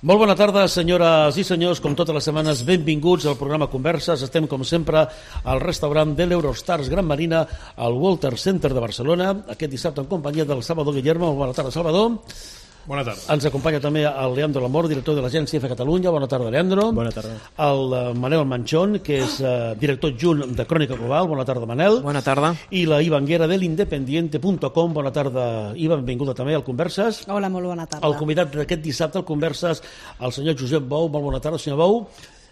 Molt bona tarda, senyores i senyors. Com totes les setmanes, benvinguts al programa Converses. Estem, com sempre, al restaurant de l'Eurostars Gran Marina, al Walter Center de Barcelona, aquest dissabte en companyia del Salvador Guillermo. Bona tarda, Salvador. Bona tarda. Ens acompanya també el Leandro Lamor, director de l'Agència EFE Catalunya. Bona tarda, Leandro. Bona tarda. El Manel Manchón, que és director adjunt de Crònica Global. Bona tarda, Manel. Bona tarda. I la Iva Anguera de l'Independiente.com. Bona tarda, Iva. Benvinguda també al Converses. Hola, molt bona tarda. El convidat d'aquest dissabte al Converses, el senyor Josep Bou. Molt bona tarda, senyor Bou.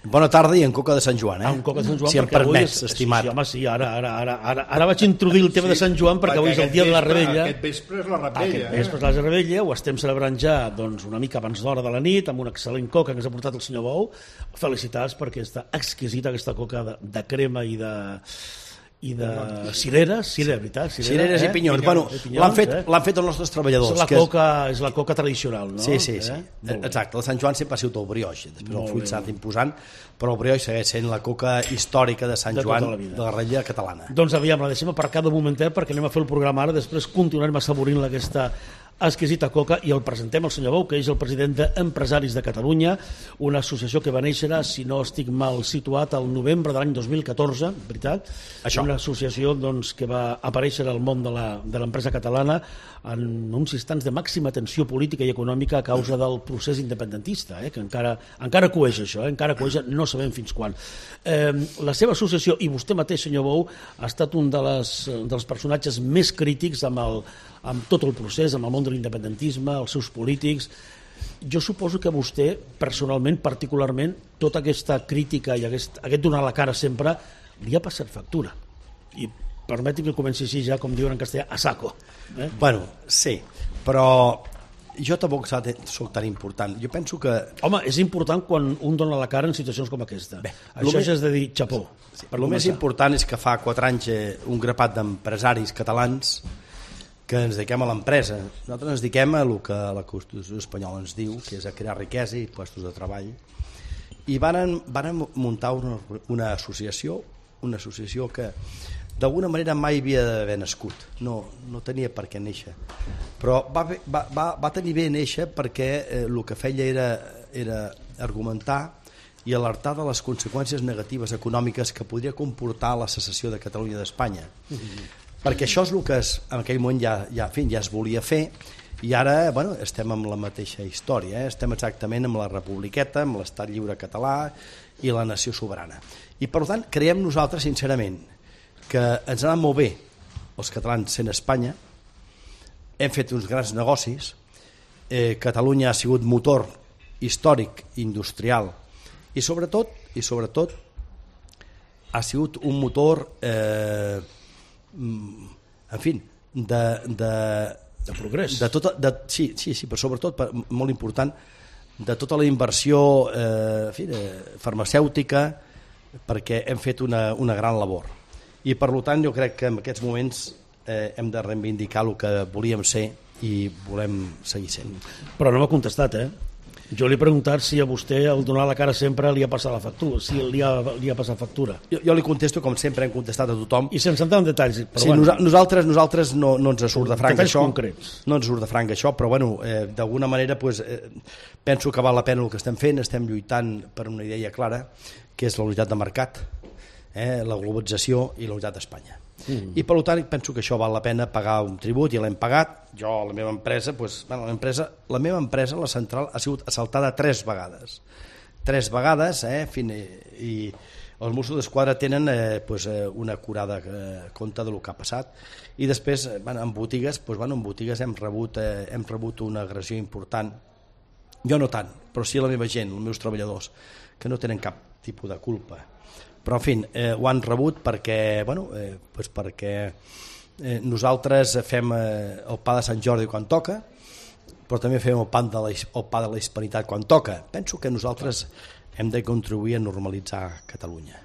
Bona tarda i en coca de Sant Joan, En coca de Sant Joan, si em perquè avui permets, estimat. Sí, home, sí, ara vaig introduir el tema de Sant Joan perquè avui és el dia de la Rebella. Aquest vespre és la Rebella. Aquest vespre és la Rebella, ho estem celebrant ja doncs, una mica abans d'hora de la nit, amb una excel·lent coca que ens ha portat el senyor Bou. Felicitats perquè està exquisita aquesta coca de crema i de cireres, veritat? Cireres i pinyons. Bueno, l'han fet els nostres treballadors. És la coca tradicional, no? Sí. Exacte, el Sant Joan sempre ha sigut el brioix, després el fruit s'ha anat imposant, però el brioix segueix sent la coca històrica de Sant Joan, de la Rebella catalana. Doncs aviam, la deixem aparcar de momentet perquè anem a fer el programa ara, després continuarem assaborint aquesta exquisita coca i el presentem al senyor Bou, que és el president d'Empresaris de Catalunya, una associació que va néixer, si no estic mal situat, al novembre de l'any 2014, veritat? Això. Una associació doncs, que va aparèixer al món de l'empresa catalana en uns instants de màxima tensió política i econòmica a causa del procés independentista, que encara coeix això, encara coeix, no sabem fins quan. La seva associació, i vostè mateix, senyor Bou, ha estat un dels personatges més crítics amb tot el procés, amb el món de l'independentisme, els seus polítics. Jo suposo que a vostè, personalment, particularment, tota aquesta crítica i aquest donar la cara sempre li ha passat factura. I permeti que comenci així ja, com diuen en castellà, a saco. Bueno, sí, però jo tampoc soc tan important. Jo penso que... Home, és important quan un dona la cara en situacions com aquesta. Això ja és de dir xapó. El més important és que fa 4 anys un grapat d'empresaris catalans que ens dediquem a l'empresa. Nosaltres ens dediquem a el que la Constitució espanyola ens diu, que és a crear riquesa i puestos de treball. I van muntar una associació que d'alguna manera mai havia d'haver nascut. No tenia per què néixer. Però va tenir bé néixer perquè el que feia era argumentar i alertar de les conseqüències negatives econòmiques que podria comportar la secessió de Catalunya d'Espanya. Perquè això és el que en aquell moment ja es volia fer i ara estem amb la mateixa història, estem exactament amb la republiqueta, amb l'estat lliure català i la nació soberana. I per tant creiem nosaltres sincerament que ens ha anat molt bé els catalans sent Espanya, hem fet uns grans negocis, Catalunya ha sigut motor històric, industrial i sobretot ha sigut un motor en fi de progrés, sí, però sobretot molt important de tota la inversió farmacèutica, perquè hem fet una gran labor i per tant jo crec que en aquests moments hem de reivindicar el que volíem ser i volem seguir sent. Però no m'ha contestat, Jo li he preguntat si a vostè el donar la cara sempre li ha passat la factura, si li ha passat factura. Jo li contesto com sempre hem contestat a tothom. I sense entrar en detalls. Però sí, nosaltres no ens surt de franc això. Concrets. No ens surt de franc això, però d'alguna manera penso que val la pena el que estem fent, estem lluitant per una idea clara, que és la unitat de mercat, la globalització i la unitat d'Espanya. I per tant penso que això val la pena pagar un tribut i l'hem pagat. Jo, la meva empresa, la central ha sigut assaltada 3 vegades. 3 vegades, i els Mossos d'Esquadra tenen una acurada compte del que ha passat. I després, en botigues hem rebut una agressió important. Jo no tant, però sí la meva gent, els meus treballadors, que no tenen cap tipus de culpa. Però en fi, ho han rebut perquè nosaltres fem el pa de Sant Jordi quan toca, però també fem el pa de la hispanitat quan toca. Penso que nosaltres hem de contribuir a normalitzar Catalunya.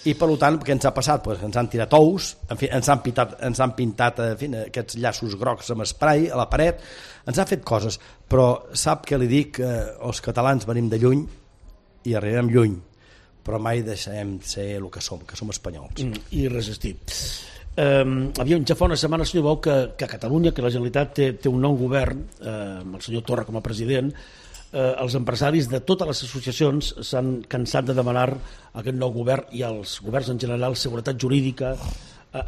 I per tant, què ens ha passat? Ens han tirat ous, ens han pintat aquests llaços grocs amb spray a la paret, ens han fet coses, però sap què li dic? Els catalans venim de lluny i arribem lluny, però mai deixem ser el que som espanyols. I resistir. Ja fa una setmana, senyor Bou, que Catalunya, que la Generalitat té un nou govern, amb el senyor Torra com a president, els empresaris de totes les associacions s'han cansat de demanar a aquest nou govern i als governs en general seguretat jurídica,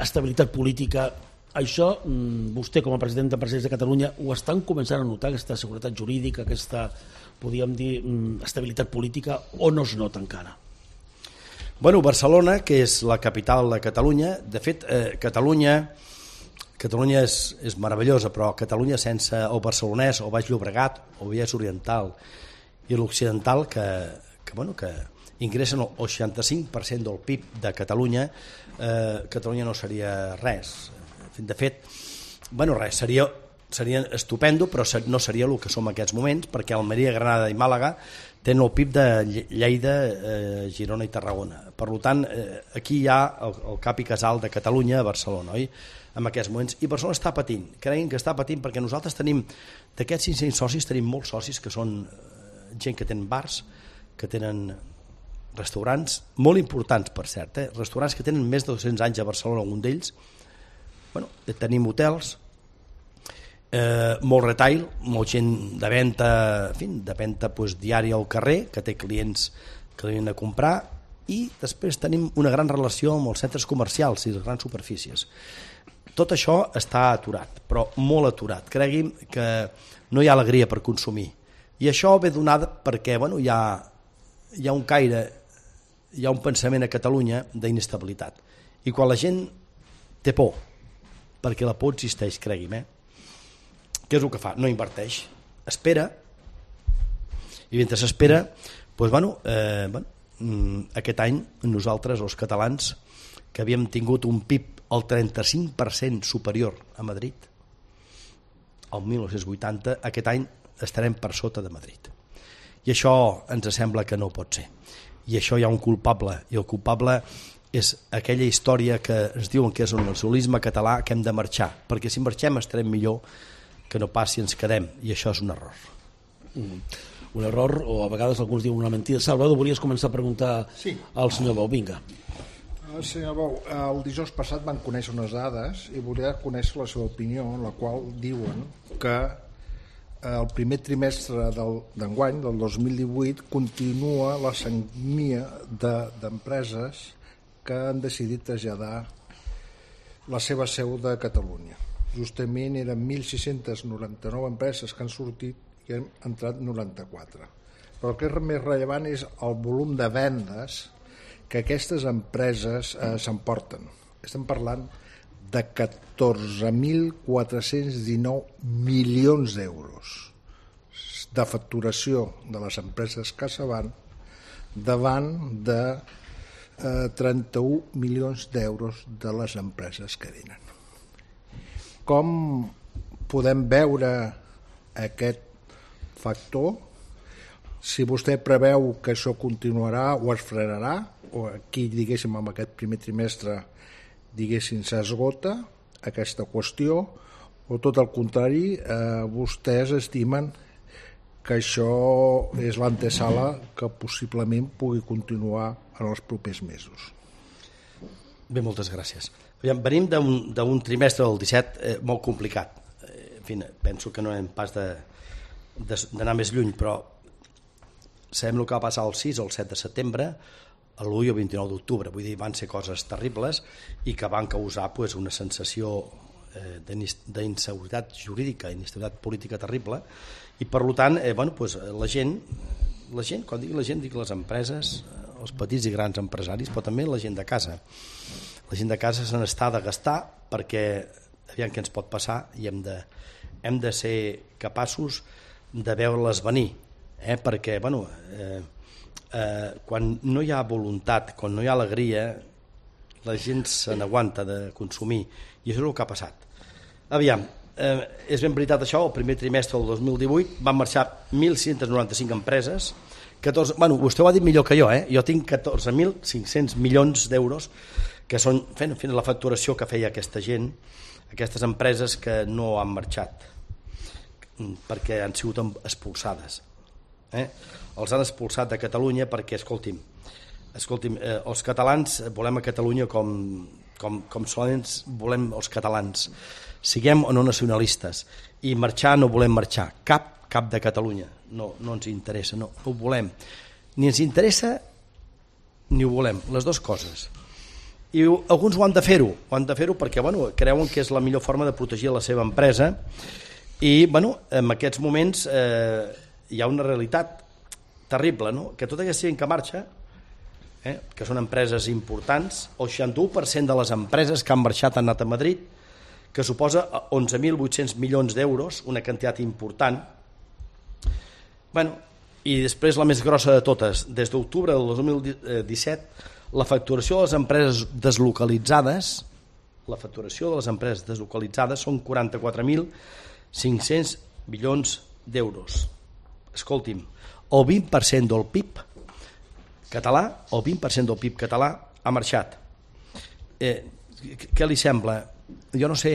estabilitat política. Això, vostè com a president d'Empresaris de Catalunya, ho estan començant a notar, aquesta seguretat jurídica, aquesta, podríem dir, estabilitat política, o no es nota encara? Bueno, Barcelona, que és la capital de Catalunya, de fet, Catalunya és meravellosa, però Catalunya sense el barcelonès o Baix Llobregat o Vallès Oriental i l'Occidental, que ingressen el 65% del PIB de Catalunya, Catalunya no seria res. De fet, res, seria estupendo, però no seria el que som en aquests moments, perquè Almeria, Granada i Màlaga tenen el PIB de Lleida, Girona i Tarragona. Per tant, aquí hi ha el cap i casal de Catalunya a Barcelona, oi? En aquests moments, i Barcelona està patint, creguin que està patint, perquè nosaltres tenim, d'aquests 500 socis, tenim molts socis que són gent que tenen bars, que tenen restaurants, molt importants per cert, restaurants que tenen més de 200 anys a Barcelona, algun d'ells. Tenim hotels, molt retail, molt gent de venda, diària al carrer, que té clients que venen a comprar, i després tenim una gran relació amb els centres comercials i les grans superfícies. Tot això està aturat, però molt aturat. Cregui'm que no hi ha alegria per consumir. I això ve donat perquè hi ha un caire, hi ha un pensament a Catalunya d'inestabilitat. I quan la gent té por, perquè la por existeix, cregui'm, què és el que fa? No inverteix, espera, i mentre s'espera, aquest any nosaltres, els catalans, que havíem tingut un PIB el 35% superior a Madrid, el 1980, aquest any estarem per sota de Madrid. I això ens sembla que no pot ser. I això hi ha un culpable, i el culpable és aquella història que ens diuen que és un nacionalisme català, que hem de marxar, perquè si marxem estarem millor que no pas si ens quedem, i això és un error. Un error, o a vegades alguns diuen una mentida. Salvador, volies començar a preguntar al senyor Bou, vinga. Senyor Bou, el dijous passat van conèixer unes dades i volia conèixer la seva opinió, en la qual diuen que el primer trimestre d'enguany, del 2018, continua la sagnia d'empreses que han decidit traslladar la seva seu de Catalunya. Justament eren 1.699 empreses que han sortit i han entrat 94. Però el que és més rellevant és el volum de vendes que aquestes empreses s'emporten. Estem parlant de 14.419 milions d'euros de facturació de les empreses que se van davant de 31 milions d'euros de les empreses que venen. Com podem veure aquest factor? Si vostè preveu que això continuarà o es frenarà, o aquí, diguéssim, amb aquest primer trimestre, diguéssim, s'esgota aquesta qüestió, o tot el contrari, vostès estimen que això és l'antesala que possiblement pugui continuar en els propers mesos. Bé, moltes gràcies. Venim d'un trimestre del 17 molt complicat. En fi, penso que no hem pas d'anar més lluny, però sabem el que va passar el 6 o el 7 de setembre, l'1 i el 29 d'octubre. Vull dir, van ser coses terribles i que van causar una sensació d'inseguretat jurídica, d'inestabilitat política terrible, i per tant, la gent, quan digui la gent, dic les empreses, els petits i grans empresaris, però també la gent de casa. La gent de casa se n'està de gastar perquè aviam què ens pot passar i hem de ser capaços de veure-les venir, perquè quan no hi ha voluntat, quan no hi ha alegria, la gent se n'aguanta de consumir, i això és el que ha passat. Aviam, és ben veritat això, el primer trimestre del 2018 van marxar 1.695 empreses, vostè ho ha dit millor que jo, jo tinc 14.500 milions d'euros que són fent la facturació que feia aquesta gent, aquestes empreses que no han marxat perquè han sigut expulsades. Els han expulsat de Catalunya perquè, escolti'm, els catalans volem a Catalunya com solament volem els catalans, siguem o no nacionalistes, i marxar no volem marxar, cap de Catalunya, no ens interessa, no ho volem. Ni ens interessa ni ho volem, les dues coses. I alguns ho han de fer-ho perquè creuen que és la millor forma de protegir la seva empresa i en aquests moments hi ha una realitat terrible, no? Que tota aquesta gent que marxa, que són empreses importants, el 61% de les empreses que han marxat han anat a Madrid, que suposa 11.800 milions d'euros, una quantitat important. I després la més grossa de totes, des d'octubre del 2017, la facturació de les empreses deslocalitzades són 44.500 milions d'euros. Escolti'm, el 20% del PIB català ha marxat. Què li sembla? Jo no sé,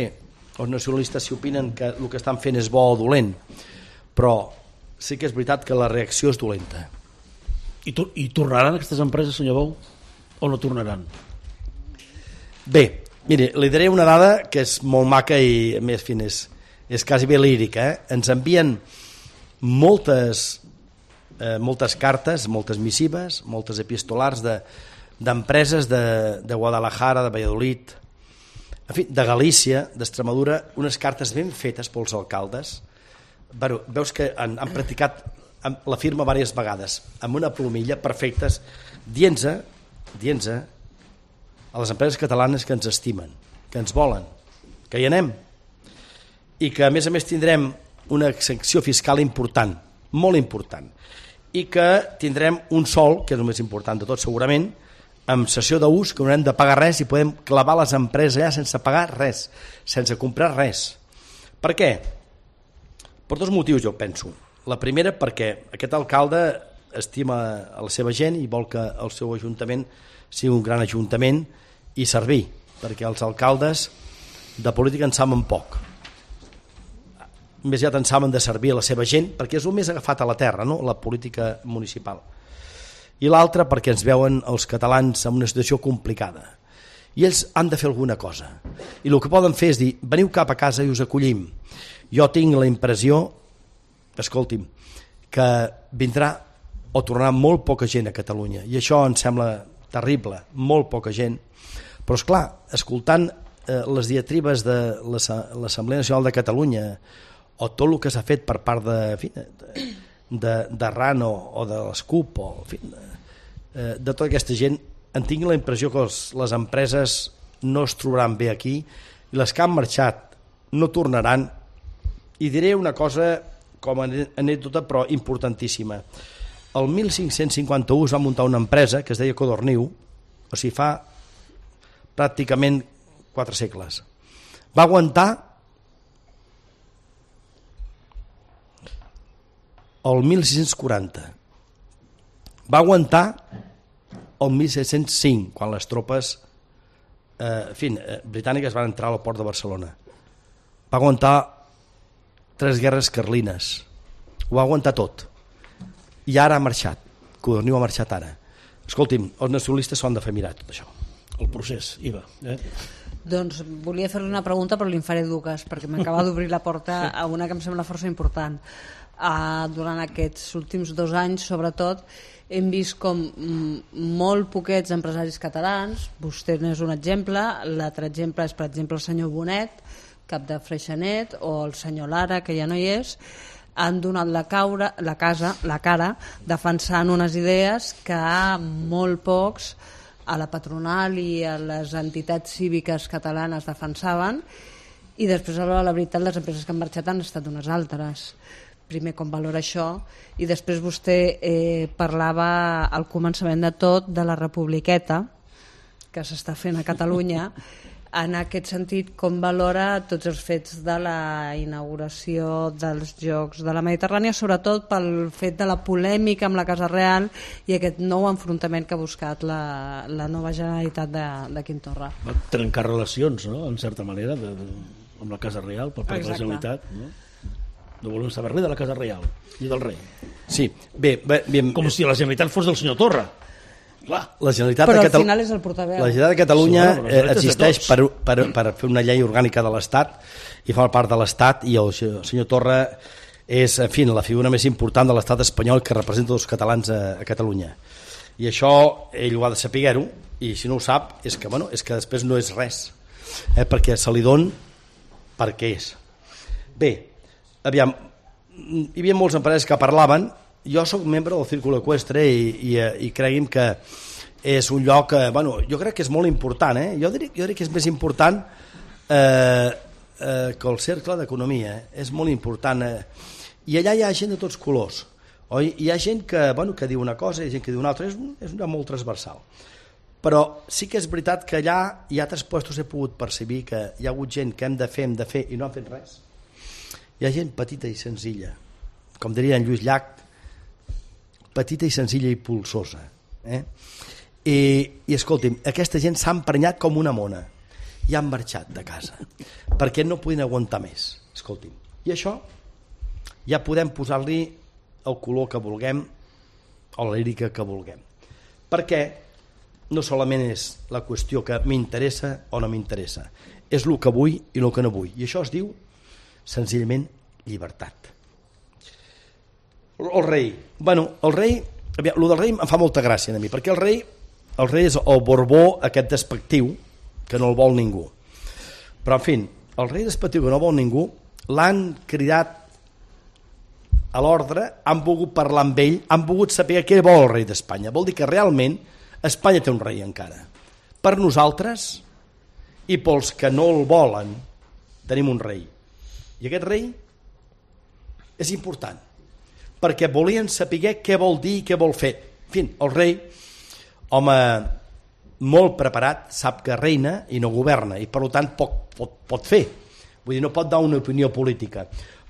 els nacionalistes si opinen que el que estan fent és bo o dolent, però sí que és veritat que la reacció és dolenta. I tornaran aquestes empreses, senyor Bou? O no tornaran? Bé, mire, li diré una dada que és molt maca i a més és quasi bé lírica. Ens envien moltes cartes, moltes missives, moltes epistolars d'empreses de Guadalajara, de Valladolid, en fi, de Galícia, d'Extremadura, unes cartes ben fetes pels alcaldes. Veus que han practicat la firma diverses vegades, amb una plomilla, perfectes, dient-se a les empreses catalanes que ens estimen, que ens volen, que hi anem, i que a més tindrem una excepció fiscal important, molt important, i que tindrem un sòl, que és el més important de tot segurament, amb cessió d'ús, que no hem de pagar res i podem clavar les empreses allà sense pagar res, sense comprar res. Per què? Per dos motius, jo penso. La primera, perquè aquest alcalde estima a la seva gent i vol que el seu ajuntament sigui un gran ajuntament i servir, perquè els alcaldes de política en saben poc. Més aviat en saben de servir a la seva gent, perquè és el més agafat a la terra, no? La política municipal. I l'altra perquè ens veuen els catalans en una situació complicada. I ells han de fer alguna cosa. I el que poden fer és dir, veniu cap a casa i us acollim. Jo tinc la impressió, escolti'm, que vindrà o tornarà molt poca gent a Catalunya, i això em sembla terrible, molt poca gent, però esclar, escoltant les diatribes de l'Assemblea Nacional de Catalunya o tot el que s'ha fet per part de RAN o de l'ESCUP o de tota aquesta gent, en tinc la impressió que les empreses no es trobaran bé aquí i les que han marxat no tornaran. I diré una cosa com a anècdota però importantíssima. El 1551 es va muntar una empresa que es deia Codorniu, o sigui, fa pràcticament 4 segles. Va aguantar el 1640. Va aguantar el 1705, quan les tropes britàniques van entrar al port de Barcelona. Va aguantar 3 guerres carlines. Ho va aguantar tot. I ara ha marxat. Codorniu ha marxat ara. Escolti'm, els nacionalistes s'ho han de fer mirar tot això. El procés, Iva. Doncs volia fer-li una pregunta però li'n faré dues perquè m'acaba d'obrir la porta a una que em sembla força important. Durant aquests últims 2 anys sobretot hem vist com molt poquets empresaris catalans, vostè n'és un exemple, l'altre exemple és per exemple el senyor Bonet, cap de Freixenet, o el senyor Lara, que ja no hi és, han donat la cara defensant unes idees que molt pocs a la patronal i a les entitats cíviques catalanes defensaven, i després a la veritat les empreses que han marxat han estat unes altres. Primer, com valora això, i després vostè parlava al començament de tot de la republiqueta que s'està fent a Catalunya. En aquest sentit, com valora tots els fets de la inauguració dels Jocs de la Mediterrània, sobretot pel fet de la polèmica amb la Casa Real i aquest nou enfrontament que ha buscat la nova Generalitat de Quim Torra? Va trencar relacions, no?, en certa manera, amb la Casa Real, per part de la Generalitat, no? No volem saber res de la Casa Real, ni del rei. Sí, bé. Com si la Generalitat fos del senyor Torra. Clar. La Generalitat però de al final és el portaveu. La Generalitat de Catalunya existeix per fer una llei orgànica de l'Estat i fa part de l'Estat, i el senyor Torra és, en fi, la figura més important de l'estat espanyol que representa els catalans a Catalunya. I això ell ho ha de saber-ho, i si no ho sap és que, bueno, és que després no és res, perquè se li don perquè és. Bé, aviam, hi havia molts empresaris que parlaven. Jo sóc membre del Círculo Eqüestre i cregui'm que és un lloc, bueno, jo crec que és molt important, jo diria que és més important que el Cercle d'Economia, és molt important, i allà hi ha gent de tots colors, oi? Hi ha gent que, bueno, que diu una cosa, hi ha gent que diu una altra, és un lloc molt transversal, però sí que és veritat que allà hi ha altres puestos he pogut percebre que hi ha hagut gent que hem de fer i no han fet res. Hi ha gent petita i senzilla, com diria en Lluís Llach, petita i senzilla i pulsosa, i escolti'm, aquesta gent s'ha emprenyat com una mona i han marxat de casa perquè no podien aguantar més, escolti'm, i això ja podem posar-li el color que vulguem o la lírica que vulguem, perquè no solament és la qüestió que m'interessa o no m'interessa, és el que vull i el que no vull, i això es diu senzillament llibertat. El rei, bueno, el rei, el del rei em fa molta gràcia a mi, perquè el rei és el Borbó aquest despectiu que no el vol ningú, però en fi, el rei despectiu que no vol ningú l'han cridat a l'ordre, han volgut parlar amb ell, han volgut saber què vol el rei d'Espanya. Vol dir que realment Espanya té un rei encara. Per nosaltres i pels que no el volen tenim un rei, i aquest rei és important perquè volien saber què vol dir i què vol fer. En fi, el rei, home molt preparat, sap que reina i no governa, i per tant pot fer, vull dir, no pot dar una opinió política,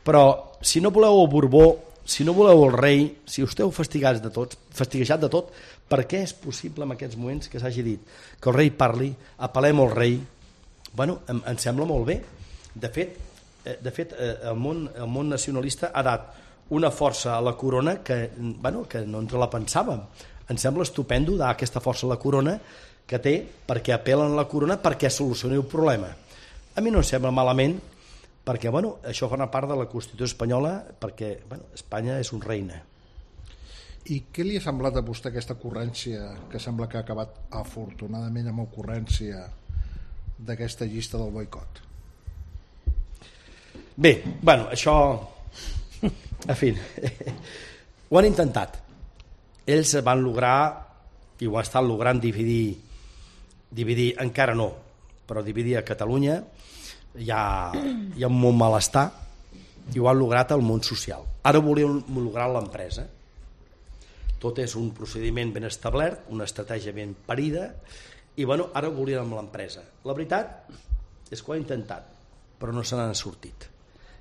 però si no voleu el Borbó, si no voleu el rei, si esteu fastiguejat de tot, per què és possible en aquests moments que s'hagi dit que el rei parli, apel·lem al rei? Bueno, em sembla molt bé. De fet el món nacionalista ha dat una força a la corona que no ens la pensàvem. Em sembla estupendo dar aquesta força a la corona que té perquè apel·len a la corona perquè solucioni el problema. A mi no em sembla malament perquè això forma part de la Constitució espanyola, perquè Espanya és un reina. I què li ha semblat a vostè aquesta ocurrència que sembla que ha acabat afortunadament amb ocurrència d'aquesta llista del boicot? Bé, això en fi ho han intentat, ells van lograr i ho estan logrant dividir, encara no, però dividir a Catalunya. Hi ha un molt malestar i ho han lograt al món social. Ara volien lograr l'empresa. Tot és un procediment ben establert, una estratègia ben parida, i ara ho volien amb l'empresa. La veritat és que ho han intentat, però no se n'han sortit.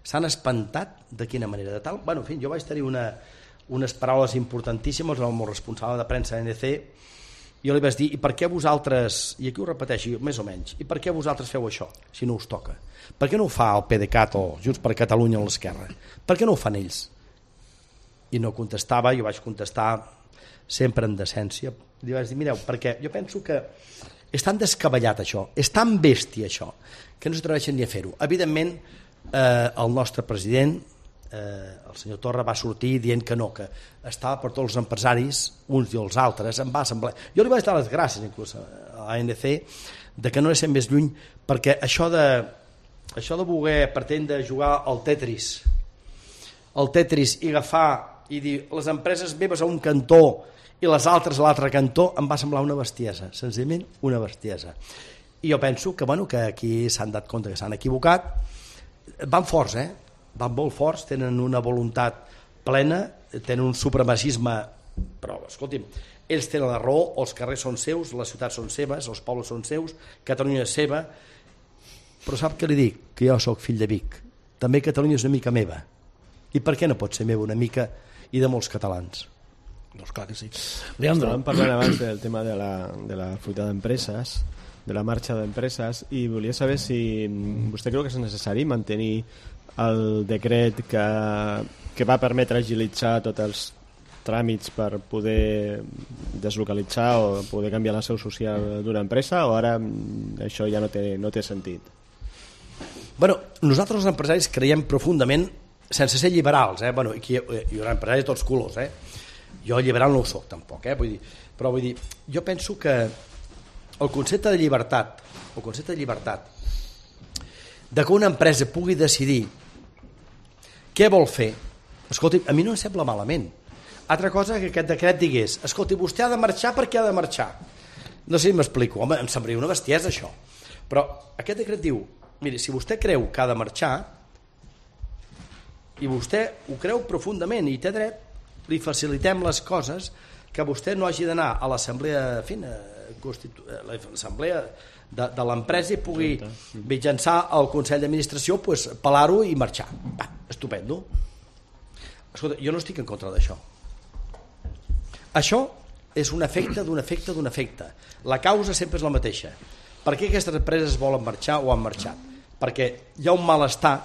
S'han espantat de quina manera, de tal. En fi, jo vaig tenir unes paraules importantíssimes amb el responsable de premsa d'ANC. Jo li vaig dir, i per què vosaltres, i aquí ho repeteixo més o menys, i per què vosaltres feu això, si no us toca? Per què no ho fa el PDeCAT o Junts per Catalunya o l'Esquerra? Per què no ho fan ells? I no contestava, jo vaig contestar sempre en decència. Li vaig dir, mireu, perquè jo penso que és tan descabellat això, és tan bèstia això, que no s'atreveixen ni a fer-ho. Evidentment, el nostre president, el senyor Torra, va sortir dient que no, que estava per tots els empresaris, uns i els altres, em va semblar. Jo li vaig dar les gràcies inclús a l'ANC de que no anessin més lluny, perquè això de voler pretendre jugar al Tetris i agafar i dir les empreses meves a un cantó i les altres a l'altre cantó, em va semblar una bestiesa, senzillament una bestiesa. I jo penso que aquí s'han dat compte que s'han equivocat. Van forts, van molt forts, tenen una voluntat plena, tenen un supremacisme, però escolti'm, ells tenen la raó, els carrers són seus, les ciutats són seves, els pobles són seus, Catalunya és seva, però sap què li dic? Que jo sóc fill de Vic, també Catalunya és una mica meva, i per què no pot ser meva una mica i de molts catalans? Doncs clar que sí. Estàvem parlant abans del tema de la fuita d'empreses, de la marxa d'empreses, i volia saber si vostè creu que és necessari mantenir el decret que va permetre agilitzar tots els tràmits per poder deslocalitzar o poder canviar la seu social d'una empresa, o ara això ja no té sentit? Nosaltres els empresaris creiem profundament sense ser liberals, bueno, aquí hi haurà empresaris de tots colors, jo liberal no ho soc tampoc, però vull dir, jo penso que el concepte de llibertat, de que una empresa pugui decidir què vol fer, escolti, a mi no em sembla malament. Altra cosa que aquest decret digués, escolti, vostè ha de marxar perquè ha de marxar. No sé si m'explico, home, em semblaria una bestiesa això. Però aquest decret diu, miri, si vostè creu que ha de marxar, i vostè ho creu profundament i té dret, li facilitem les coses que vostè no hagi d'anar a l'assemblea l'assemblea de l'empresa i pugui mitjançar el Consell d'Administració pelar-ho i marxar. Va, estupendo. Escolta, jo no estic en contra d'això. Això és un efecte d'un efecte d'un efecte. La causa sempre és la mateixa. Per què aquestes empreses volen marxar o han marxat? Perquè hi ha un malestar,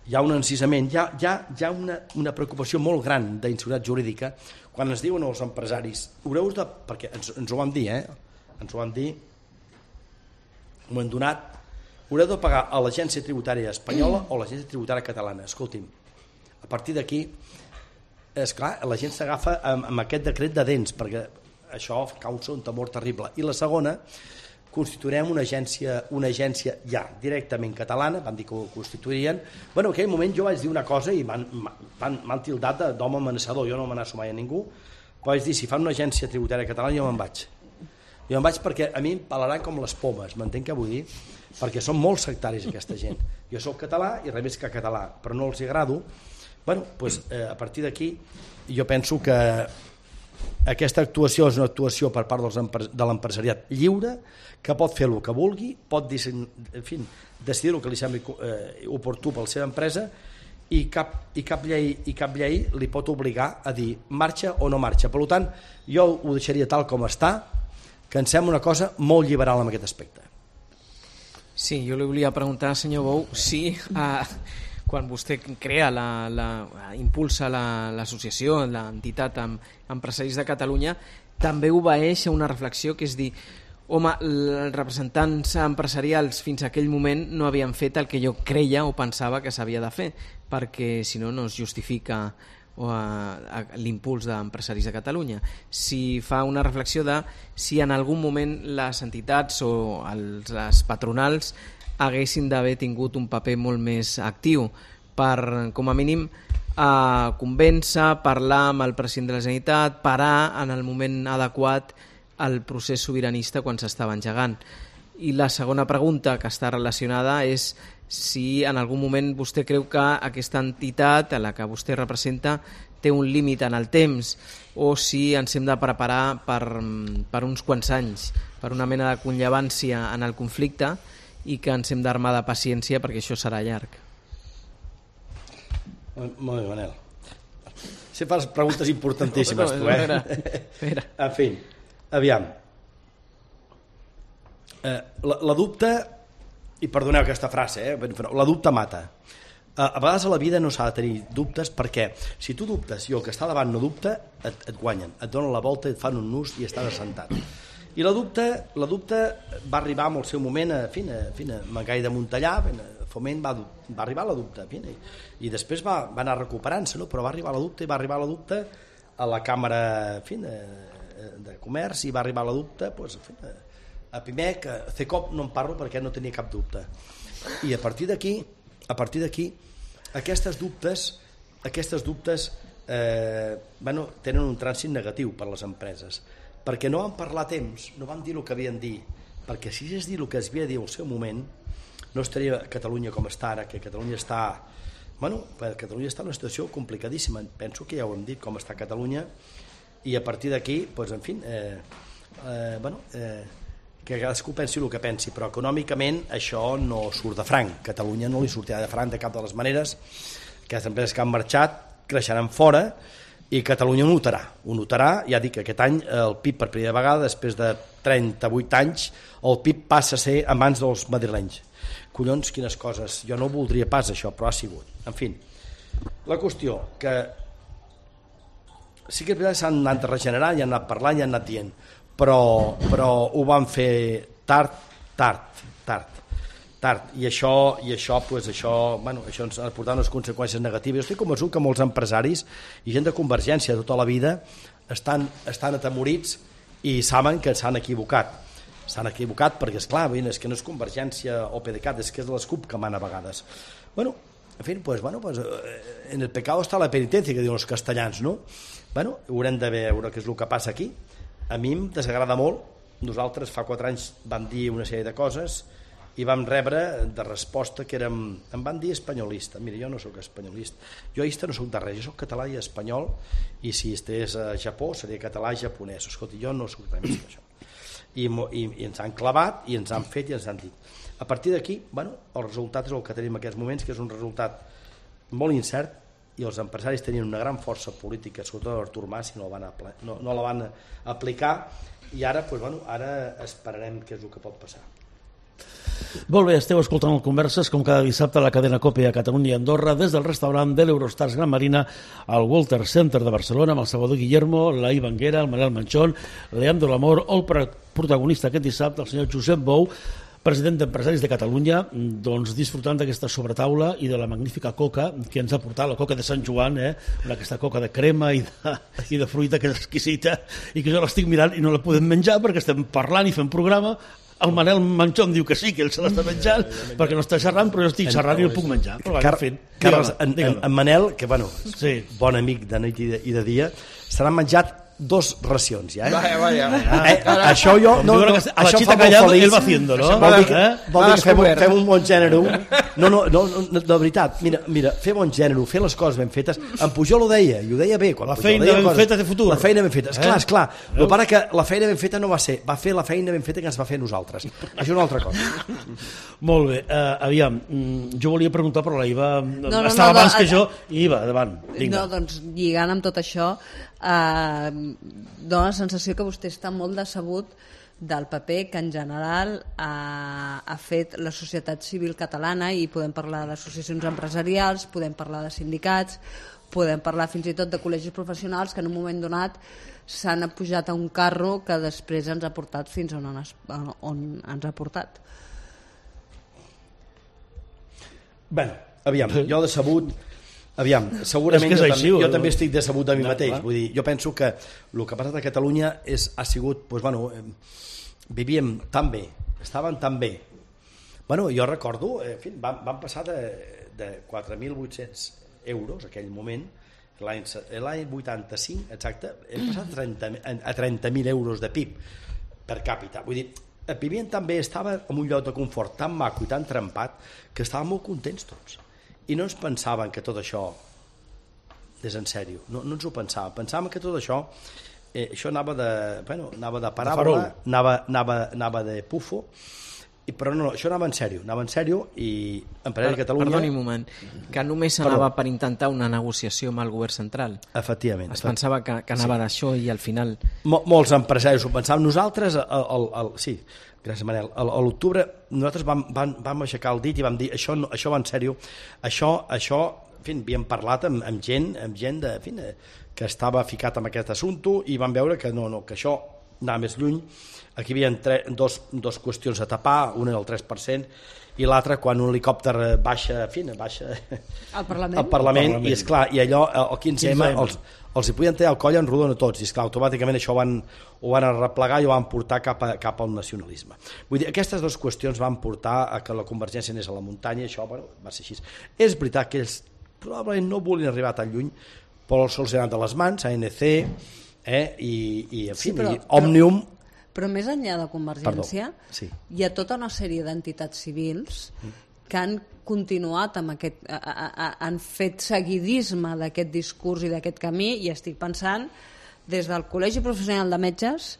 hi ha un encisament, hi ha una preocupació molt gran d'inseguretat jurídica quan ens diuen els empresaris, perquè ens ho van dir, ens ho van dir, un moment donat, haureu de pagar a l'agència tributària espanyola o a l'agència tributària catalana. Escolti'm, a partir d'aquí, és clar, la gent s'agafa amb aquest decret de dents, perquè això causa un temor terrible. I la segona, constituirem una agència ja directament catalana, van dir que ho constituirien. Bueno, en aquell moment jo vaig dir una cosa i m'han tildat d'home amenaçador, jo no m'amenaço mai a ningú, però vaig dir, si fan una agència tributària catalana jo me'n vaig. Jo me'n vaig perquè a mi em pelaran com les pomes, m'entenc què vull dir? Perquè són molt sectaris aquesta gent. Jo soc català i res més que català, però no els agrado. Bueno, doncs, a partir d'aquí jo penso que aquesta actuació és una actuació per part de l'empresariat lliure, que pot fer el que vulgui, pot decidir el que li sembli oportú per la seva empresa i cap llei li pot obligar a dir marxa o no marxa. Per tant, jo ho deixaria tal com està, que em sembla una cosa molt liberal en aquest aspecte. Sí, jo li volia preguntar, senyor Bou, si quan vostè crea, impulsa l'associació, l'entitat Empresaris de Catalunya, també obeeix a una reflexió que és dir, home, els representants empresarials fins a aquell moment no havien fet el que jo creia o pensava que s'havia de fer, perquè si no, no es justifica l'impuls d'Empresaris de Catalunya. Si fa una reflexió de si en algun moment les entitats o les patronals haguessin d'haver tingut un paper molt més actiu per, com a mínim, convèncer, parlar amb el president de la Generalitat, parar en el moment adequat el procés sobiranista quan s'estava engegant. I la segona pregunta que està relacionada és si en algun moment vostè creu que aquesta entitat a la que vostè representa té un límit en el temps o si ens hem de preparar per uns quants anys, per una mena de conllevància en el conflicte i que ens hem d'armar de paciència perquè això serà llarg. Molt bé, Manel. Si fas preguntes importantíssimes, tu, En fi, aviam. La dubte, i perdoneu aquesta frase, la dubte mata. A vegades a la vida no s'ha de tenir dubtes perquè si tu dubtes i el que està davant no dubta, et guanyen, et donen la volta, et fan un nus i estàs assentat. I la dubte va arribar en el seu moment a Magai de Montellà, Foment va arribar a la dubte, i després va anar recuperant-se, però va arribar a la dubte a la Càmera de Comerç i va arribar a la dubte a Pimec, a CECOP no en parlo perquè no tenia cap dubte. I a partir d'aquí aquestes dubtes tenen un trànsit negatiu per a les empreses, perquè no van parlar a temps, no van dir el que havien de dir, perquè si es dir el que es havia de dir al seu moment, no estaria Catalunya com està ara, que Catalunya està en una situació complicadíssima. Penso que ja ho hem dit, com està Catalunya, i a partir d'aquí, que cadascú pensi el que pensi, però econòmicament això no surt de franc. Catalunya no li sortirà de franc de cap de les maneres. Aquestes empreses que han marxat creixeran fora i Catalunya ho notarà. Ja dic que aquest any el PIB per primera vegada, després de 38 anys, el PIB passa a ser a mans dels madrilenys. Collons, quines coses. Jo no voldria pas això, però ha sigut. En fi, la qüestió que sí que és veritat que s'han anat regenerant, ja han anat parlant, ja han anat dient, però ho van fer tard. tard. I això ens ha portat unes conseqüències negatives. Jo estic convençut que molts empresaris i gent de Convergència tota la vida estan atemorits i saben que s'han equivocat. S'han equivocat perquè, esclar, és que no és Convergència o PDeCAT, és que és de les CUP que mana a vegades. Bueno, en fi, en el pecado está la penitencia, que diuen els castellans, no? Bueno, haurem de veure què és el que passa aquí. A mi em desagrada molt. Nosaltres fa 4 anys vam dir una sèrie de coses i vam rebre de resposta que em van dir espanyolista. Mira, jo no sóc espanyolista, jo no sóc de res, jo sóc català i espanyol, i si estigués a Japó seria català i japonès. Escolta, jo no sóc res més que això. I ens han clavat i ens han fet i ens han dit. A partir d'aquí, el resultat és el que tenim en aquests moments, que és un resultat molt incert, i els empresaris tenien una gran força política, sobretot Artur Mas, i no la van aplicar, i ara esperarem què és el que pot passar. Molt bé, esteu escoltant el Converses com cada dissabte a la cadena COPE a Catalunya i Andorra des del restaurant de l'Eurostars Gran Marina al Walter Center de Barcelona amb el Salvador Guillermo, la Ivanguera, el Manel Manchón, Leandro Lamor o el protagonista aquest dissabte, el senyor Josep Bou, president d'Empresaris de Catalunya, doncs disfrutant d'aquesta sobretaula i de la magnífica coca que ens ha portat, la coca de Sant Joan, aquesta coca de crema i de fruita que és exquisita i que jo l'estic mirant i no la podem menjar perquè estem parlant i fem programa. El Manel Manchón diu que sí, que ell se l'està menjant perquè no està xerrant, però jo estic xerrant i no puc menjar. Carles, en Manel, que bon amic de nit i de dia, s'han menjat 2 racions ja, això jo a la xita callada ell va haciendo, no? Vol dir que fem un bon gènere. No, de veritat, mira, fer bon gènere, fer les coses ben fetes. En Pujol ho deia, i ho deia bé, la feina ben feta té futur. La feina ben feta, esclar, el que pare que la feina ben feta no va ser, va fer la feina ben feta que ens va fer nosaltres. Això és una altra cosa. Molt bé, aviam, jo volia preguntar, però la Iva estava abans que jo, i Iva, davant. No, doncs lligant amb tot això, dona la sensació que vostè està molt decebut del paper que en general ha fet la societat civil catalana, i podem parlar d'associacions empresarials, podem parlar de sindicats, podem parlar fins i tot de col·legis professionals que en un moment donat s'han pujat a un carro que després ens ha portat fins on ens ha portat. Bé, aviam, jo decebut, segurament jo també estic decebut de mi mateix. Vull dir, jo penso que el que ha passat a Catalunya ha sigut, vivíem tan bé, estàvem tan bé. Jo recordo, vam passar de 4.800 euros aquell moment, l'any 85, exacte, hem passat a 30.000 euros de PIB per càpita. Vull dir, vivien tan bé, estava en un lloc de confort tan maco i tan trempat que estàvem molt contents tots. I no ens pensàvem que tot això és en sèrio, no ens ho pensàvem que tot això anava de paràbola, anava de pufo, però no, això anava en sèrio i Empresaris de Catalunya... Perdoni un moment, que només anava per intentar una negociació amb el govern central. Efectivament. Es pensava que anava d'això i al final... Molts empresaris ho pensàvem. Nosaltres, sí, gràcies Manel, a l'octubre nosaltres vam aixecar el dit i vam dir això va en sèrio, això en fi, havíem parlat amb gent que estava ficat en aquest assumpte i vam veure que no, que això anava més lluny. Aquí hi havia dos qüestions a tapar, una era el 3% i l'altra quan un helicòpter baixa al Parlament i esclar, i allò el 15M els hi podien tenir el coll en rodona a tots i esclar, automàticament això ho van arreplegar i ho van portar cap al nacionalisme. Vull dir, aquestes dues qüestions van portar a que la Convergència anés a la muntanya i això va ser així. És veritat que ells probablement no volien arribar tan lluny, però se'ls ha anat de les mans, ANC i en fi, Òmnium. Però més enllà de Convergència, hi ha tota una sèrie d'entitats civils que han continuat amb aquest... han fet seguidisme d'aquest discurs i d'aquest camí, i estic pensant des del Col·legi Professional de Metges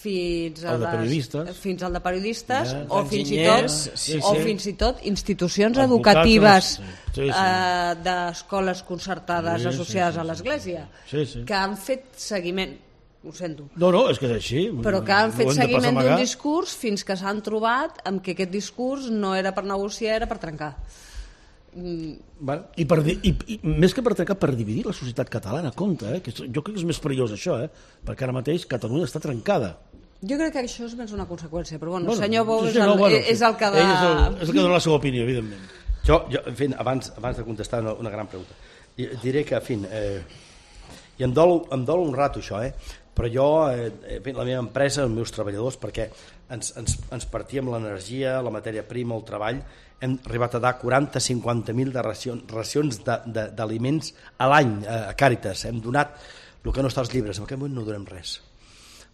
fins al de periodistes o fins i tot institucions educatives d'escoles concertades associades a l'Església que han fet seguiment. Ho sento. No, és que és així. Però que han fet seguiment d'un discurs fins que s'han trobat amb que aquest discurs no era per negociar, era per trencar. I més que per trencar, per dividir la societat catalana, compte, que jo crec que és més perillós això, perquè ara mateix Catalunya està trencada. Jo crec que això és més una conseqüència, però bueno, Bueno, senyor Bou sí, és sí, el, no, bueno, és el que ell és el que dona la seva opinió, evidentment. Jo en fi, abans de contestar una gran pregunta, diré que, en fi, i em dol un rato això, però jo, la meva empresa, els meus treballadors, perquè ens partíem l'energia, la matèria prima, el treball, hem arribat a dar 40-50.000 de racions d'aliments a l'any a Càritas. Hem donat el que no està als llibres, en aquest moment no donem res.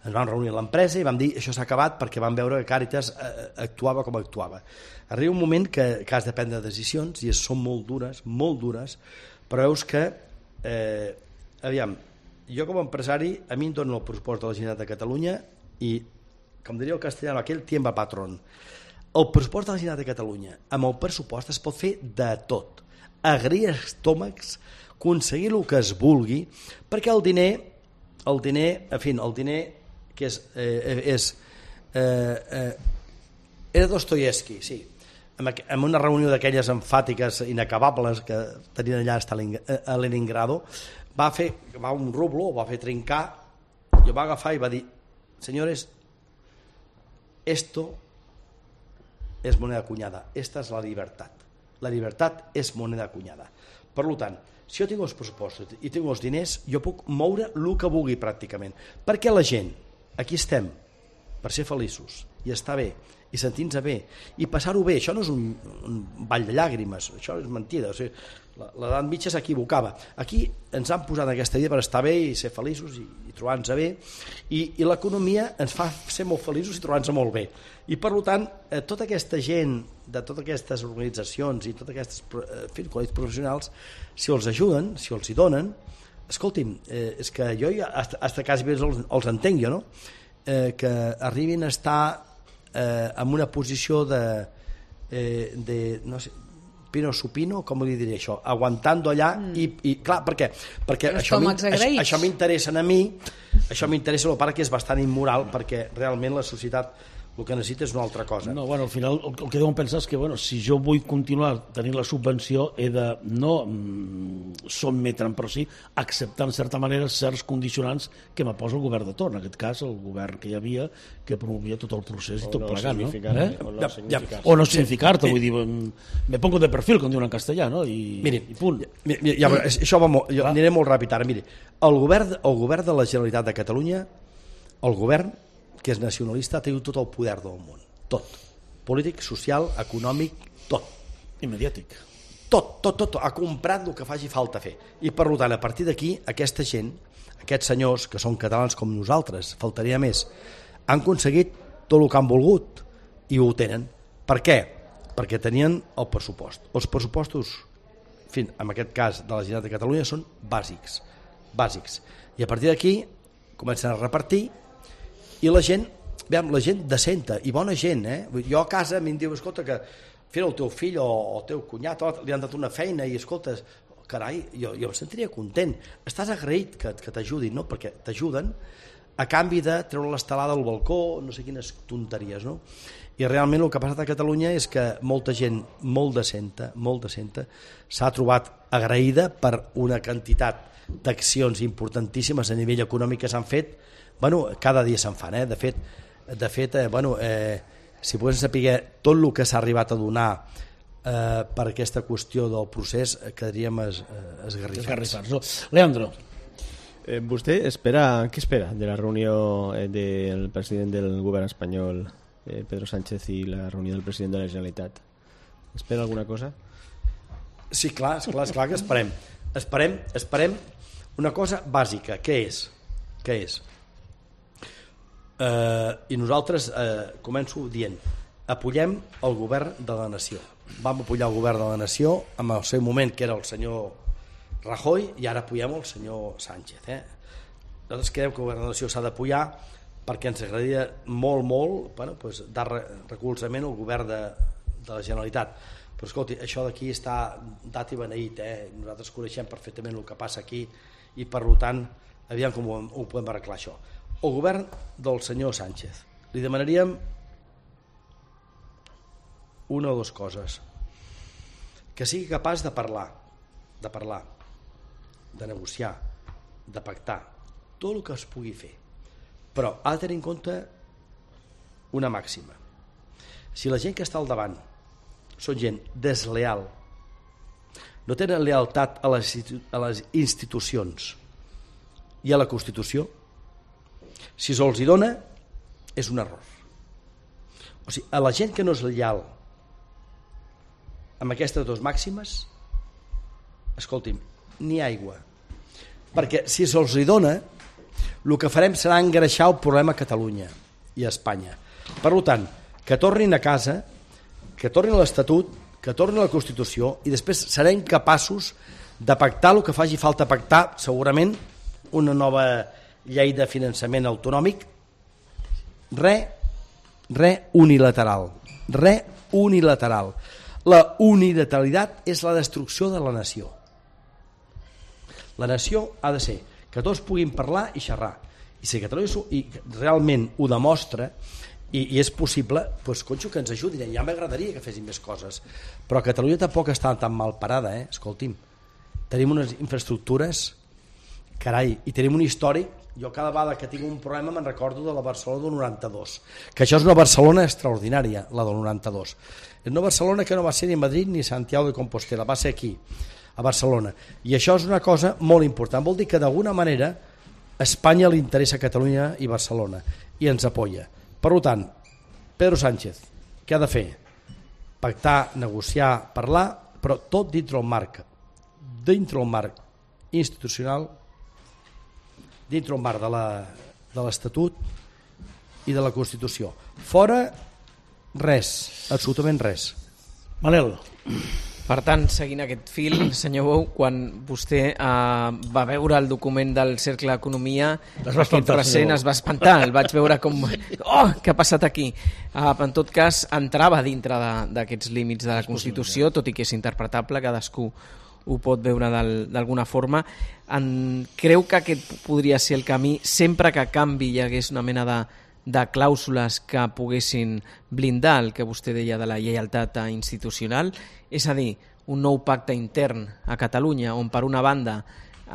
Ens vam reunir a l'empresa i vam dir això s'ha acabat perquè vam veure que Càritas actuava com actuava. Arriba un moment que has de prendre decisions i són molt dures, però veus que, aviam, jo com a empresari, a mi em donen el pressupost de la Generalitat de Catalunya i, com diria el castellà, aquell tiempo patrón. El pressupost de la Generalitat de Catalunya, amb el pressupost es pot fer de tot, agrir estómacs, aconseguir el que es vulgui, perquè el diner, en fi, el diner que era Dostoyevsky, sí, en una reunió d'aquelles enfàtiques inacabables que tenien allà a Leningrado, va un rublo, va fer trincar, i va agafar i va dir: señores, esto es moneda acuñada, esta es la libertad es moneda acuñada. Per tant, si jo tinc els pressupostos i tinc els diners, jo puc moure el que vulgui pràcticament, perquè la gent, aquí estem per ser feliços i estar bé i sentir-nos bé i passar-ho bé. Això no és un ball de llàgrimes, això és mentida, o sigui, l'edat mitja s'equivocava. Aquí ens han posat aquesta vida per estar bé i ser feliços i trobar-nos bé, i l'economia ens fa ser molt feliços i trobar-nos molt bé. I per tant, tota aquesta gent de totes aquestes organitzacions i totes aquestes col·legis professionals, si els ajuden, si els hi donen, escolti'm, és que jo fins quasi bé els entenc jo, no? Que arribin a estar en una posició de no sé, pino supino, com li diré això, aguantando allà, i clar, per què? Perquè això m'interessa a mi, això m'interessa, el part que és bastant immoral, perquè realment la societat el que necessita és una altra cosa. No, bueno, al final el que deuen pensar és que, bueno, si jo vull continuar tenint la subvenció, he de no sotmetre'm, però sí acceptar en certa manera certs condicionants que m'aposa el govern de torn, en aquest cas el govern que hi havia, que promovia tot el procés i tot plegat, no? O no significar-te, vull dir, me pongo de perfil, com diuen en castellà, no? I punt. Això va molt, jo aniré molt ràpid ara. Miri, el govern de la Generalitat de Catalunya, el govern que és nacionalista, ha tingut tot el poder del món, tot, polític, social, econòmic, tot, i mediàtic, tot, ha comprat el que faci falta fer, i per tant, a partir d'aquí, aquesta gent, aquests senyors que són catalans com nosaltres, faltaria més, han aconseguit tot el que han volgut i ho tenen. Per què? Perquè tenien el pressupost. Els pressupostos, en fi, en aquest cas de la Generalitat de Catalunya, són bàsics, i a partir d'aquí comencen a repartir. I la gent decenta i bona gent, jo a casa a mi em diu, escolta, que el teu fill o el teu cunyat li han dat una feina i escolta, carai, jo em sentiria content, estàs agraït que t'ajudin, no? Perquè t'ajuden a canvi de treure l'estelada al balcó, no sé quines tonteries, no? I realment el que ha passat a Catalunya és que molta gent molt decenta s'ha trobat agraïda per una quantitat d'accions importantíssimes a nivell econòmic que s'han fet. Bueno, cada dia se'n fan, de fet, si pogués saber tot el que s'ha arribat a donar per aquesta qüestió del procés, quedaríem esgarrifats. No? Leandro. ¿Vostè què espera de la reunió del president del govern espanyol, Pedro Sánchez, i la reunió del president de la Generalitat? Espera alguna cosa? Sí, clar que esperem. Esperem una cosa bàsica, què és? I nosaltres, començo dient, apoyem el govern de la nació. Vam apoyar el govern de la nació en el seu moment, que era el senyor Rajoy, i ara apoyem el senyor Sánchez. Nosaltres creiem que el govern de la nació s'ha d'apoyar perquè ens agradaria molt dar recolzament al govern de la Generalitat. Però escolti, això d'aquí està dat i beneït, nosaltres coneixem perfectament el que passa aquí i per tant, aviam com ho podem arreglar això. El govern del senyor Sánchez li demanaríem una o dues coses: que sigui capaç de parlar, de negociar, de pactar tot el que es pugui fer, però ha de tenir en compte una màxima. Si la gent que està al davant són gent desleal, no tenen lealtat a les institucions i a la Constitució, si se'ls hi dona és un error. O sigui, a la gent que no és lleial amb aquestes dues màximes, escolti'm, ni aigua. Perquè si se'ls hi dona, el que farem serà engreixar el problema a Catalunya i a Espanya. Per tant, que tornin a casa, que tornin a l'Estatut, que tornin a la Constitució, i després serem capaços de pactar el que faci falta pactar, segurament una nova llei de finançament autonòmic, unilateral. Unilateral. La unilateralitat és la destrucció de la nació. La nació ha de ser que tots puguin parlar i xerrar. I si Catalunya realment ho demostra i és possible, doncs, conxo, que ens ajudin. Ja m'agradaria que fessin més coses. Però Catalunya tampoc està tan mal parada, escolti'm. Tenim unes infraestructures, carai, i tenim un històric. Jo cada vegada que tinc un problema me'n recordo de la Barcelona del 92, que això és una Barcelona extraordinària, la del 92. És una Barcelona que no va ser ni Madrid ni Santiago de Compostela, va ser aquí, a Barcelona. I això és una cosa molt important. Vol dir que d'alguna manera a Espanya li interessa Catalunya i Barcelona i ens apoya. Per tant, Pedro Sánchez, què ha de fer? Pactar, negociar, parlar, però tot dintre el marc institucional, dintre el marc de l'Estatut i de la Constitució. Fora, res, absolutament res. Manel. Per tant, seguint aquest fil, senyor Bou, quan vostè va veure el document del Cercle d'Economia, aquest present es va espantar, el vaig veure com... Oh, què ha passat aquí? En tot cas, entrava dintre d'aquests límits de la Constitució, tot i que és interpretable, cadascú ho pot veure d'alguna forma. Creu que aquest podria ser el camí, sempre que a canvi hi hagués una mena de clàusules que poguessin blindar el que vostè deia de la lleialtat institucional, és a dir, un nou pacte intern a Catalunya on per una banda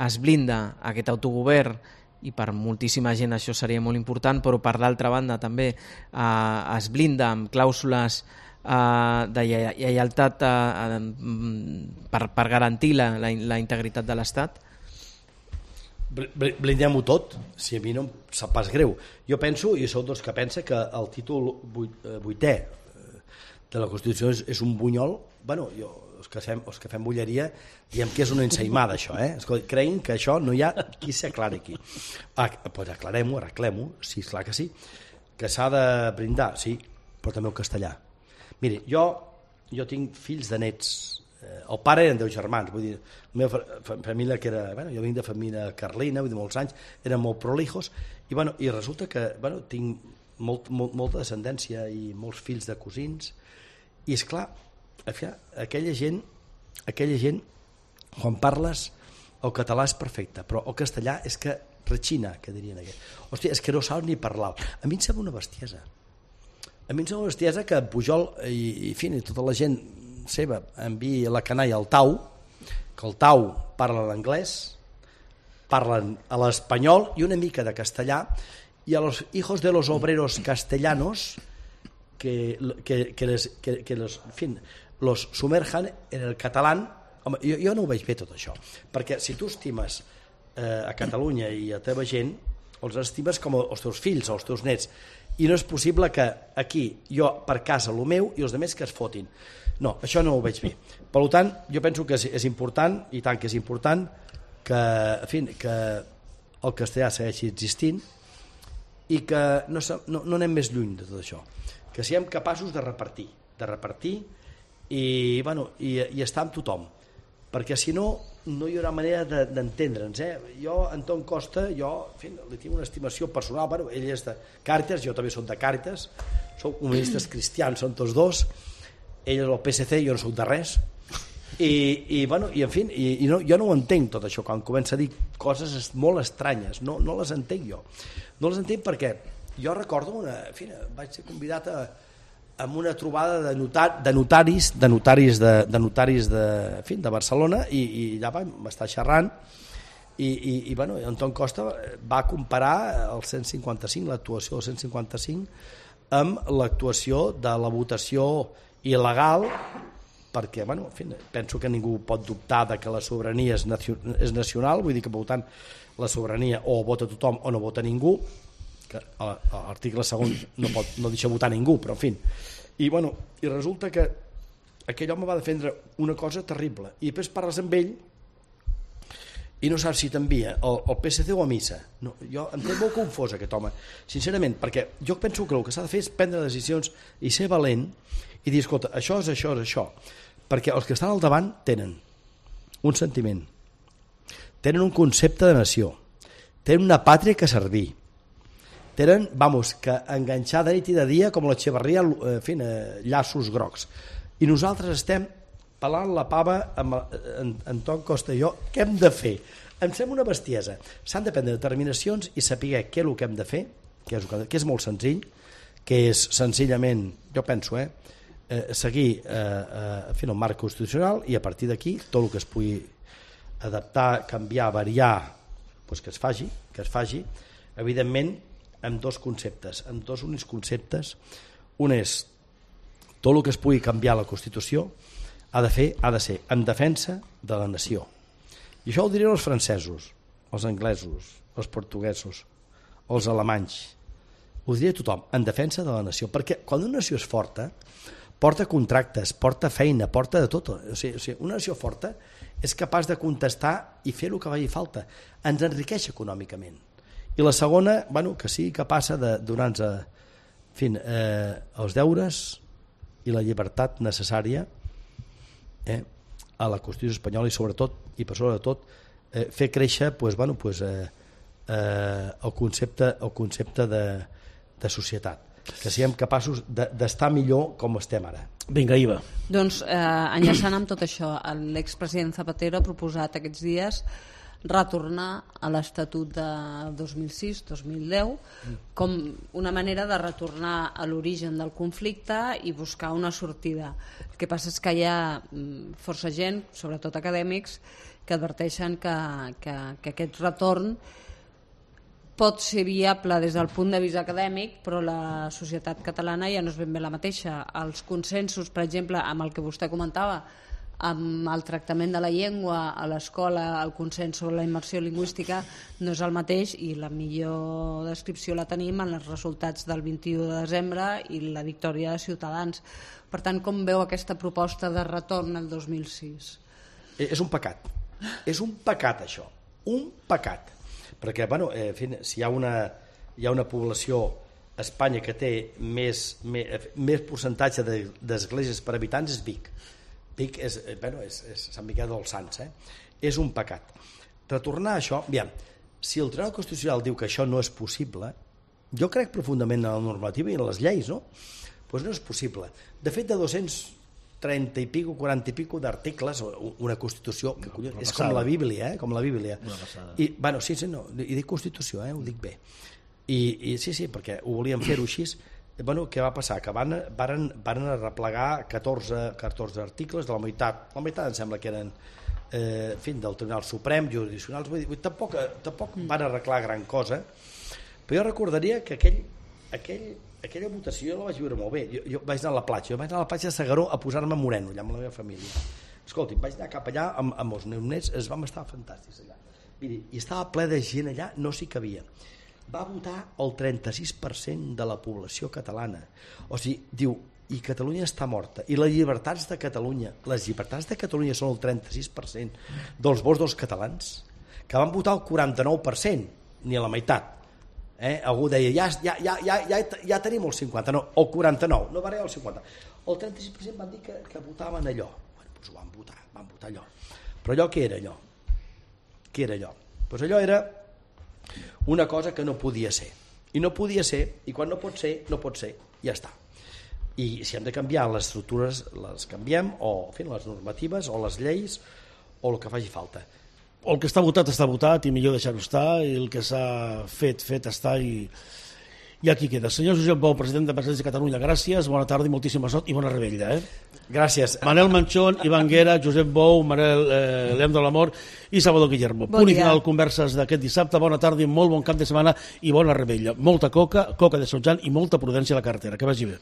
es blinda aquest autogovern i per moltíssima gent això seria molt important, però per l'altra banda també es blinda amb clàusules de lleialtat per garantir la integritat de l'Estat? Blindem-ho tot, si a mi no em sap pas greu. Jo penso, i sou dels que pensa, que el títol 8è de la Constitució és un bunyol. Bueno, els que fem bulleria diem que és una ensaïmada, això. Creguin que això no hi ha qui s'aclari aquí. Pues aclarem-ho, arreglem-ho, sí, clar que sí. Que s'ha de brindar, sí, però també el castellà. Miri, jo tinc fills de nets. El pare eren 10 germans, vull dir, la meva família que era, jo vinc de família carlina, vull dir, molts anys, eren molt prolijos, i resulta que tinc molta descendència i molts fills de cosins, i és clar, aquella gent, quan parles, el català és perfecte, però el castellà és que rechina, que dirien aquells. Hòstia, és que no saps ni parlar. A mi em sembla una bestiesa. A mi em sembla una bestiesa que Pujol i tota la gent seva enviï la canalla al Tau, que el Tau parla l'anglès, parlen a l'espanyol i una mica de castellà, i a los hijos de los obreros castellanos que los sumerjan en el català. Home, jo no ho veig bé tot això, perquè si tu estimes a Catalunya i a teva gent, els estimes com els teus fills o els teus nets, i no és possible que aquí jo per casa el meu i els altres que es fotin. No, això no ho veig bé. Per tant, jo penso que és important, i tant que és important, que el castellà segueixi existint i que no anem més lluny de tot això. Que siguem capaços de repartir i estar amb tothom. Perquè si no, no hi haurà manera d'entendre'ns. Jo, Anton Costa, li tinc una estimació personal. Ell és de Càritas, jo també soc de Càritas, som comunistes cristians, som tots dos. Ell és el PSC, jo no soc de res, jo no ho entenc tot això, quan comença a dir coses molt estranyes, no les entenc jo. No les entenc perquè jo recordo vaig ser convidat a una trobada de notaris de Barcelona, i allà vam estar xerrant, i Anton Costa va comparar el 155, l'actuació del 155, amb l'actuació de la votació il·legal, perquè en fi, penso que ningú pot dubtar de que la sobirania és nacional, vull dir que per tant la sobirania o vota tothom o no vota ningú, que l'article segon no deixa votar ningú, però en fi. I resulta que aquell home va defendre una cosa terrible i després parles amb ell i no saps si t'envia el PSC o a missa. No, jo em té molt confós aquest home, sincerament, perquè jo penso que el que s'ha de fer és prendre decisions i ser valent i dir, escolta, això és això, és això, perquè els que estan al davant tenen un sentiment, tenen un concepte de nació, tenen una pàtria que servir, tenen, que enganxar de nit i de dia com l'Echeverria, en fi, llaços grocs. I nosaltres estem pelant la pava amb Anton Costa i jo. Què hem de fer? Em sembla una bestiesa. S'han de prendre determinacions i saber què és el que hem de fer, que és molt senzill, que és senzillament, jo penso, seguir el marc constitucional i a partir d'aquí tot el que es pugui adaptar, canviar, variar, que es faci, evidentment amb dos conceptes, amb dos únics conceptes. Un és tot el que es pugui canviar la Constitució ha de ser en defensa de la nació. I això ho dirien els francesos, els anglesos, els portuguesos, els alemanys. Ho diria tothom, en defensa de la nació, perquè quan una nació és forta porta contractes, porta feina, porta de tot. O sigui, una nació forta és capaç de contestar i fer el que vagi falta. Ens enriqueix econòmicament. I la segona, que sigui capaç de donar-nos els deures i la llibertat necessària a la Constitució espanyola i sobretot, i per sobretot, fer créixer el concepte de societat, que siguem capaços d'estar millor com estem ara. Vinga, Iva. Doncs enllaçant amb tot això, l'expresident Zapatero ha proposat aquests dies retornar a l'Estatut de 2006-2010 com una manera de retornar a l'origen del conflicte i buscar una sortida. El que passa és que hi ha força gent, sobretot acadèmics, que adverteixen que aquest retorn pot ser viable des del punt de vista acadèmic, però la societat catalana ja no és ben bé la mateixa. Els consensos, per exemple, amb el que vostè comentava, amb el tractament de la llengua a l'escola, el consens sobre la immersió lingüística no és el mateix i la millor descripció la tenim en els resultats del 21 de desembre i la victòria de Ciutadans. Per tant, com veu aquesta proposta de retorn al 2006? És un pecat. És un pecat, això. Un pecat. Perquè, si hi ha una població a Espanya que té més percentatge d'esglésies per habitants és Vic. Vic és Sant Miquel dels Sants. És un pecat. Retornar a això, si el Tribunal Constitucional diu que això no és possible, jo crec profundament en la normativa i en les lleis, no? Doncs no és possible. De fet, de 230 i pico, 40 i pico d'articles, una Constitució, que és com la Bíblia, com la Bíblia. I dic Constitució, ho dic bé. I sí, perquè ho volíem fer-ho així. Què va passar? Que van arreplegar 14 articles de la meitat em sembla que eren del Tribunal Suprem, jurisdiccionals, tampoc van arreglar gran cosa, però jo recordaria que aquella votació la vaig viure molt bé. Jo vaig anar a la platja de S'Agaró a posar-me moreno allà amb la meva família. Escolti, vaig anar cap allà amb els meus nets, vam estar fantàstics allà. Miri, i estava ple de gent allà, no s'hi cabia. Va votar el 36% de la població catalana. O sigui, diu, i Catalunya està morta. I les llibertats de Catalunya són el 36% dels vots dels catalans, que van votar el 49%, ni a la meitat. Algú deia, ja tenim el 50%, no, el 49%, no va arribar al 50%. El 36% van dir que votaven allò. Doncs ho van votar allò. Però allò què era allò? Què era allò? Doncs allò era una cosa que no podia ser. I no podia ser, i quan no pot ser, ja està. I si hem de canviar les estructures, les canviem, o les normatives, o les lleis, o el que faci falta. El que està votat i millor deixar-ho estar, i el que s'ha fet està, i I aquí queda. Senyor Josep Bou, president d'Empresaris de Catalunya, gràcies, bona tarda i moltíssima sort i bona rebella. Gràcies. Manel Manchón, Ivan Guera, Josep Bou, Manel Leandro Lamor i Salvador Guillermo. Punt i final converses d'aquest dissabte. Bona tarda i molt bon cap de setmana i bona rebella. Molta coca de Sotjan i molta prudència a la carretera. Que vagi bé.